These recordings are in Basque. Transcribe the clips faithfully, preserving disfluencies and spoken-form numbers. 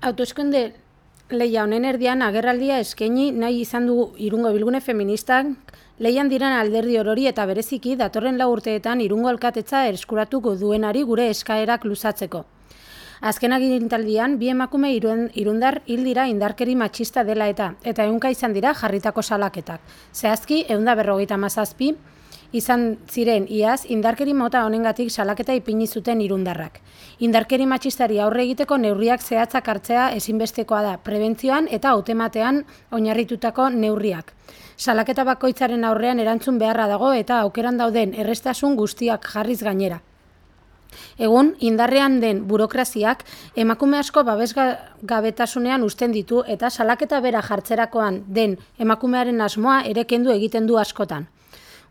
Hauteskunde lehia honen erdian agerraldia eskaini nahi izan du Irungo Bilgune Feministak lehian diren alderdi orori eta bereziki datorren lau urteetan Irungo alkatetza eskuratuko duenari gure eskaerak luzatzeko. Azken agintaldian, bi emakume irundar hil dira indarkeri matxista dela eta, eta ehunka izan dira jarritako salaketak. Zehazki, ehun eta berrogeita hamazazpi izan ziren iaz indarkeri mota honengatik salaketa ipini zuten irundarrak. Indarkeri matxistari aurre egiteko neurriak zehatzak hartzea ezinbestekoa da, prebentzioan eta hautematean oinarritutako neurriak. Salaketa bakoitzaren aurrean erantzun beharra dago eta aukeran dauden errestasun guztiak jarriz gainera. Egun, indarrean den burokraziak emakume asko babesgabetasunean uzten ditu eta salaketa bera jartzerakoan den emakumearen asmoa ere kendu egiten du askotan.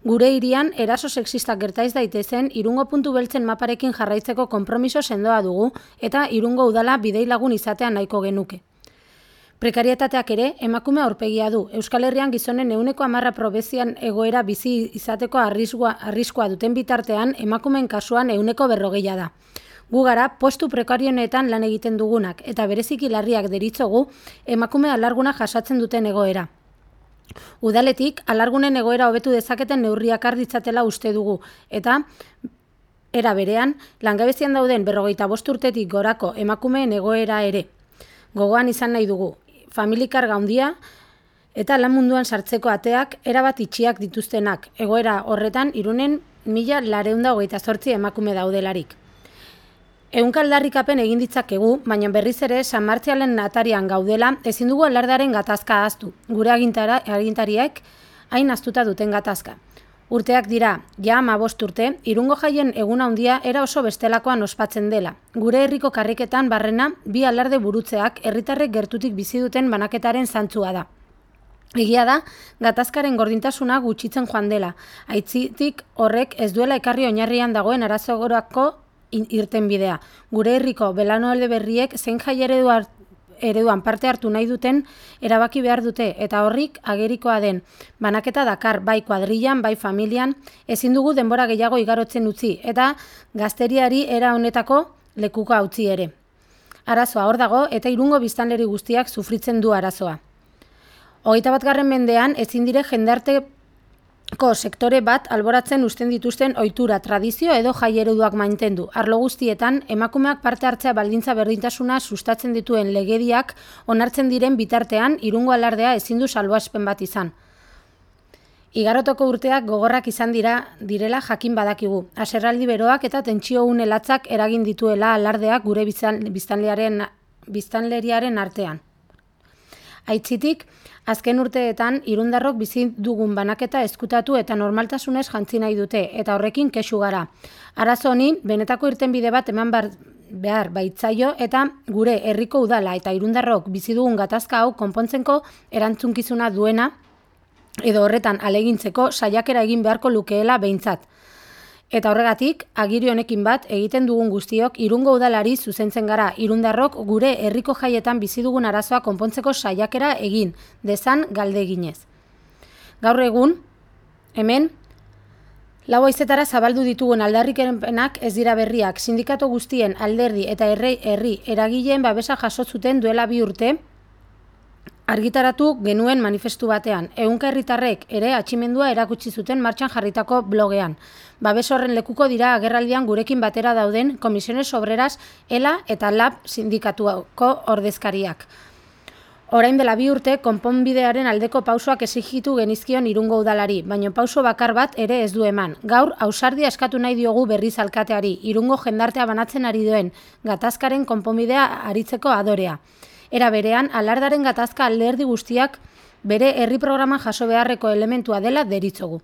Gure hirian eraso sexistak gertaiz daitezen Irungo puntu beltzen maparekin jarraitzeko konpromiso sendoa dugu eta Irungo udala bidei lagun izatea nahiko genuke. Prekarietateak ere emakume aurpegia du. Euskal Herrian gizonen ehuneko hamarra probezian egoera bizi izateko arriskua, arriskua duten bitartean emakumeen kasuan ehuneko berrogeia da. Gu gara postu prekarionetan lan egiten dugunak eta bereziki larriak deritzogu emakume alarguna jasatzen duten egoera. Udaletik, alargunen egoera hobetu dezaketen neurriak har ditzatela uste dugu, eta era berean, langabezian dauden berrogeita bost urtetik gorako emakumeen egoera ere. Gogoan izan nahi dugu, familikarga handia eta lan munduan sartzeko ateak erabat itxiak dituztenak, egoera horretan Irunen mila laurehun eta hogeita zortzi emakume daudelarik. Ehunka aldarrikapen egin ditzakegu, baina berriz ere San Martzialen atarian gaudela ezin dugu alardearen gatazka ahaztu. Gure agintariek hain ahaztuta duten gatazka. Urteak dira, ja hamabost urte, Irungo jaien egun handia era oso bestelakoan ospatzen dela. Gure herriko karriketan barrena bi alarde burutzeak herritarrek gertutik bizi duten banaketaren zantzua da. Egia da, gatazkaren gordintasuna gutxitzen joan dela. Aitzitik horrek ez duela ekarri oinarrian dagoen arazogorako irten bidea. Gure herriko belaunaldi berriek zein jai ereduan parte hartu nahi duten erabaki behar dute eta horrik agerikoa den. Banaketa dakar bai kuadrillan, bai familian, ezin dugu denbora gehiago igarotzen utzi eta gazteriari era honetako lekuko utzi ere. Arazoa hor dago eta Irungo biztanleri guztiak sufritzen du arazoa. Hogeita batgarren mendean ezin dire jendarte ko sektore bat alboratzen uzten dituzten ohitura, tradizio edo jai ereduak mantendu. Arlo guztietan, emakumeak parte hartzea baldintza berdintasuna sustatzen dituen legediak onartzen diren bitartean Irungo alardea ezin du salbuespen bat izan. Igarotoko urteak gogorrak izan dira direla jakin badakigu. Haserraldi beroak eta tentsio une latzak eragin dituela alardeak gure biztanleriaren, biztanleriaren artean. Aitzitik, azken urteetan irundarrok bizi dugun banaketa ezkutatu eta normaltasunez jantzi nahi dute eta horrekin kexu gara. Arazo honi benetako irtenbide bat eman behar baitzaio eta gure herriko udala eta irundarrok bizi dugun gatazka hau konpontzeko erantzunkizuna duena edo horretan alegintzeko saiakera egin beharko lukeela behintzat. Eta horregatik, agiri honekin bat egiten dugun guztiok Irungo udalari zuzentzen gara irundarrok gure herriko jaietan bizi dugun arazoa konpontzeko saiakera egin, dezan galde eginez. Gaur egun, hemen, lau haizetara zabaldu ditugun aldarrikepenak ez dira berriak, sindikatu guztien alderdi eta herri herri eragileen babesa jaso zuten duela bi urte, argitaratu genuen manifestu batean. Ehunka herritarrek ere atximendua erakutsi zuten martxan jarritako blogean. Babes horren lekuko dira agerraldian gurekin batera dauden Komisiones Obreras, ELA eta LAB sindikatuko ordezkariak. Orain dela bi urte, konponbidearen aldeko pausoak exigitu genizkion Irungo udalari, baina pauso bakar bat ere ez du eman. Gaur, ausardia eskatu nahi diogu berriz alkateari, Irungo jendartea banatzen ari duen gatazkaren konponbidea aritzeko adorea. Era berean, alardaren gatazka alderdi guztiak bere herri programan jaso beharreko elementua dela deritzogu.